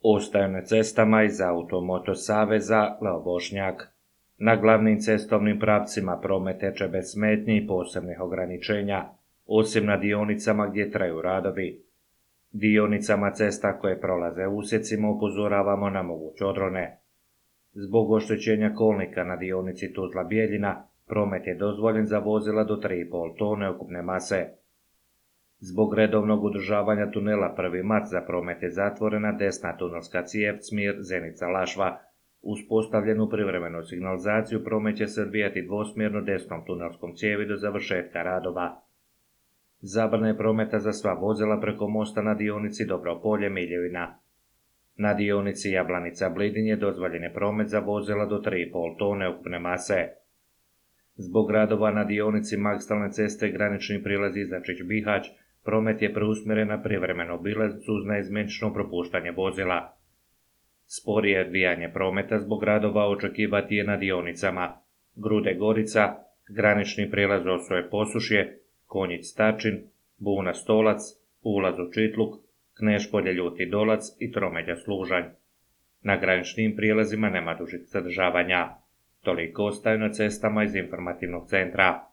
Ostaju na cestama iz Automoto saveza Leo Bošnjak. Na glavnim cestovnim pravcima promet teče bez smetnji i posebnih ograničenja, osim na dionicama gdje traju radovi. Dionicama cesta koje prolaze usjecima upozoravamo na moguće odrone. Zbog oštećenja kolnika na dionici Tuzla-Bijeljina, promet je dozvoljen za vozila do 3,5 tone ukupne mase. Zbog redovnog održavanja tunela 1. mart za promet je zatvorena desna tunelska cijev smjer Zenica-Lašva. Uspostavljenu privremenu signalizaciju promet će se odvijati dvosmjerno desnom tunelskom cijevi do završetka radova. Zabrana je prometa za sva vozila preko mosta na dionici Dobro-Polje-Miljevina. Na dionici Jablanica-Blidin je dozvoljen je promet za vozila do 3,5 tone ukupne mase. Zbog radova na dionici magistralne ceste granični prilaz Izačić-Bihać, promet je preusmjeren na privremenu obilaznicu uz naizmjenično propuštanje vozila. Sporije odvijanje prometa zbog radova očekivati je na dionicama Grude-Gorica, granični prilaz Osoje-Posušje, Konjić-Stačin, Buna-Stolac, ulaz u Čitluk, Kneš-Polje-Ljuti Dolac i Tromelja-Služanj. Na graničnim prijelazima nema dužih zadržavanja. Toliko ostaju na cestama iz informativnog centra.